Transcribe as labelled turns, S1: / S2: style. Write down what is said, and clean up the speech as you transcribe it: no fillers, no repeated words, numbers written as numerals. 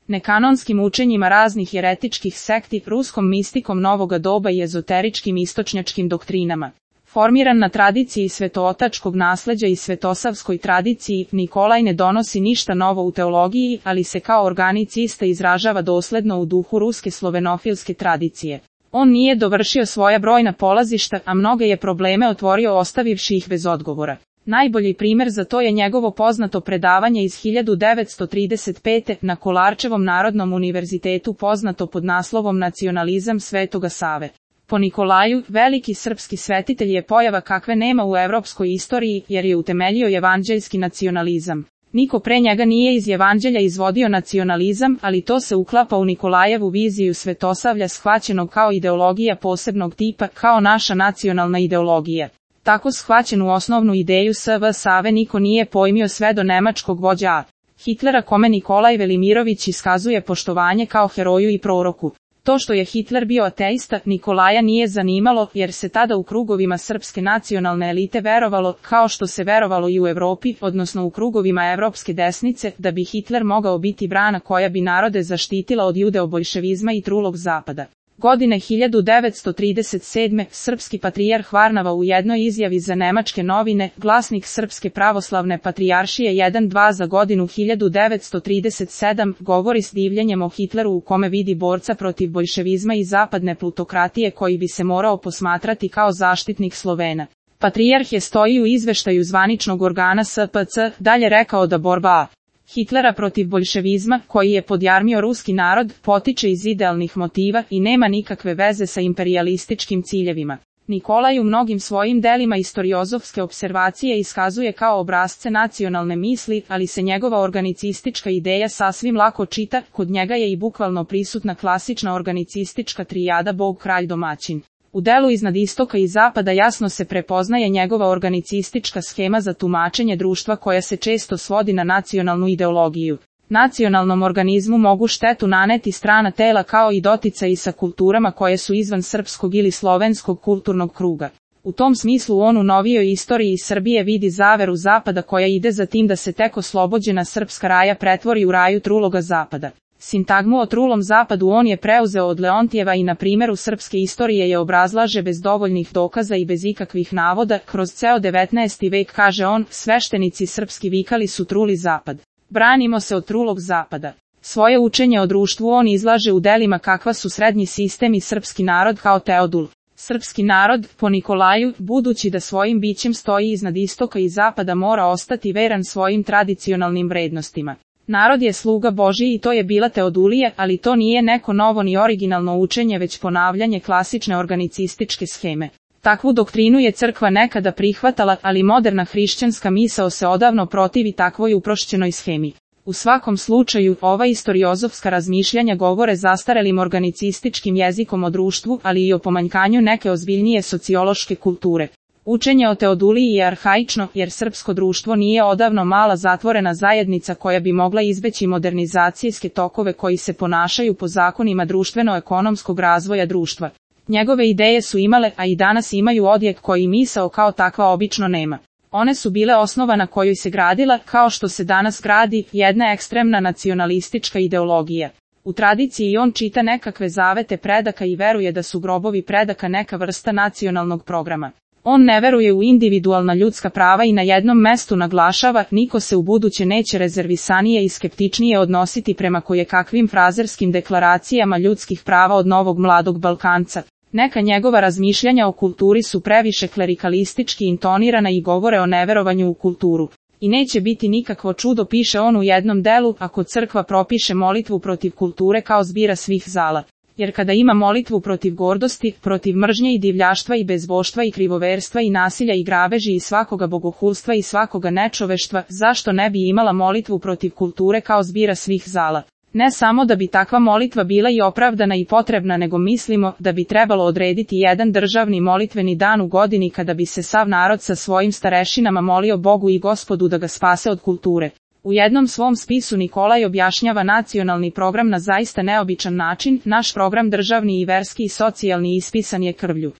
S1: nekanonskim učenjima raznih jeretičkih sekti, ruskom mistikom novoga doba i ezoteričkim istočnjačkim doktrinama. Formiran na tradiciji svetootačkog nasleđa i svetosavskoj tradiciji, Nikolaj ne donosi ništa novo u teologiji, ali se kao organicista izražava dosledno u duhu ruske slovenofilske tradicije. On nije dovršio svoja brojna polazišta, a mnoge je probleme otvorio ostavivši ih bez odgovora. Najbolji primjer za to je njegovo poznato predavanje iz 1935. na Kolarčevom Narodnom univerzitetu poznato pod naslovom Nacionalizam Svetoga Save. Po Nikolaju, veliki srpski svetitelj je pojava kakve nema u evropskoj istoriji, jer je utemeljio evanđeljski nacionalizam. Niko pre njega nije iz evanđelja izvodio nacionalizam, ali to se uklapa u Nikolajevu viziju svetosavlja shvaćenog kao ideologija posebnog tipa, kao naša nacionalna ideologija. Tako shvaćenu osnovnu ideju SV Save niko nije pojmio sve do nemačkog vođa A. Hitlera, kome Nikolaj Velimirović iskazuje poštovanje kao heroju i proroku. To što je Hitler bio ateista, Nikolaja nije zanimalo, jer se tada u krugovima srpske nacionalne elite verovalo, kao što se verovalo i u Evropi, odnosno u krugovima evropske desnice, da bi Hitler mogao biti brana koja bi narode zaštitila od judeo-boljševizma i trulog zapada. Godine 1937. srpski patrijarh Varnava u jednoj izjavi za nemačke novine, glasnik Srpske pravoslavne patrijaršije 1-2 za godinu 1937, govori s divljenjem o Hitleru u kome vidi borca protiv boljševizma i zapadne plutokratije koji bi se morao posmatrati kao zaštitnik Slovena. Patrijarh je stoji u izveštaju zvaničnog organa SPC, dalje rekao da borba Hitlera protiv boljševizma, koji je podjarmio ruski narod, potiče iz idealnih motiva i nema nikakve veze sa imperijalističkim ciljevima. Nikolaj u mnogim svojim delima istoriozofske observacije iskazuje kao obrazce nacionalne misli, ali se njegova organicistička ideja sasvim lako čita, kod njega je i bukvalno prisutna klasična organicistička trijada Bog, kralj, domaćin. U delu iznad istoka i zapada jasno se prepoznaje njegova organicistička schema za tumačenje društva koja se često svodi na nacionalnu ideologiju. Nacionalnom organizmu mogu štetu naneti strana tela kao i doticaji sa kulturama koje su izvan srpskog ili slovenskog kulturnog kruga. U tom smislu on u novijoj istoriji Srbije vidi zaveru zapada koja ide za tim da se tek oslobođena srpska raja pretvori u raju truloga zapada. Sintagmu o trulom zapadu on je preuzeo od Leontijeva i na primjeru srpske istorije je obrazlaže bez dovoljnih dokaza i bez ikakvih navoda, kroz ceo 19. vek kaže on, sveštenici srpski vikali su truli zapad. Branimo se od trulog zapada. Svoje učenje o društvu on izlaže u delima kakva su srednji sistem i srpski narod kao Teodul. Srpski narod, po Nikolaju, budući da svojim bićem stoji iznad istoka i zapada mora ostati veran svojim tradicionalnim vrednostima. Narod je sluga Božji i to je bila Teodulija, ali to nije neko novo ni originalno učenje već ponavljanje klasične organicističke scheme. Takvu doktrinu je crkva nekada prihvatala, ali moderna hrišćanska misao se odavno protivi takvoj uprošćenoj schemi. U svakom slučaju, ova istoriozofska razmišljanja govore zastarelim organicističkim jezikom o društvu, ali i o pomanjkanju neke ozbiljnije sociološke kulture. Učenje o Teoduliji je arhaično, jer srpsko društvo nije odavno mala zatvorena zajednica koja bi mogla izbeći modernizacijske tokove koji se ponašaju po zakonima društveno-ekonomskog razvoja društva. Njegove ideje su imale, a i danas imaju odjek koji misao kao takva obično nema. One su bile osnova na kojoj se gradila, kao što se danas gradi, jedna ekstremna nacionalistička ideologija. U tradiciji on čita nekakve zavete predaka i veruje da su grobovi predaka neka vrsta nacionalnog programa. On ne veruje u individualna ljudska prava i na jednom mestu naglašava, niko se u buduće neće rezervisanije i skeptičnije odnositi prema kojekakvim frazerskim deklaracijama ljudskih prava od novog mladog Balkanca. Neka njegova razmišljanja o kulturi su previše klerikalistički intonirana i govore o neverovanju u kulturu. I neće biti nikakvo čudo, piše on u jednom delu, ako crkva propiše molitvu protiv kulture kao zbira svih zala. Jer kada ima molitvu protiv gordosti, protiv mržnje i divljaštva i bezboštva i krivoverstva i nasilja i grabeži i svakoga bogohulstva i svakoga nečoveštva, zašto ne bi imala molitvu protiv kulture kao zbira svih zala? Ne samo da bi takva molitva bila i opravdana i potrebna, nego mislimo da bi trebalo odrediti jedan državni molitveni dan u godini kada bi se sav narod sa svojim starešinama molio Bogu i Gospodu da ga spase od kulture. U jednom svom spisu Nikolaj objašnjava nacionalni program na zaista neobičan način, naš program državni i verski i socijalni ispisan je krvlju.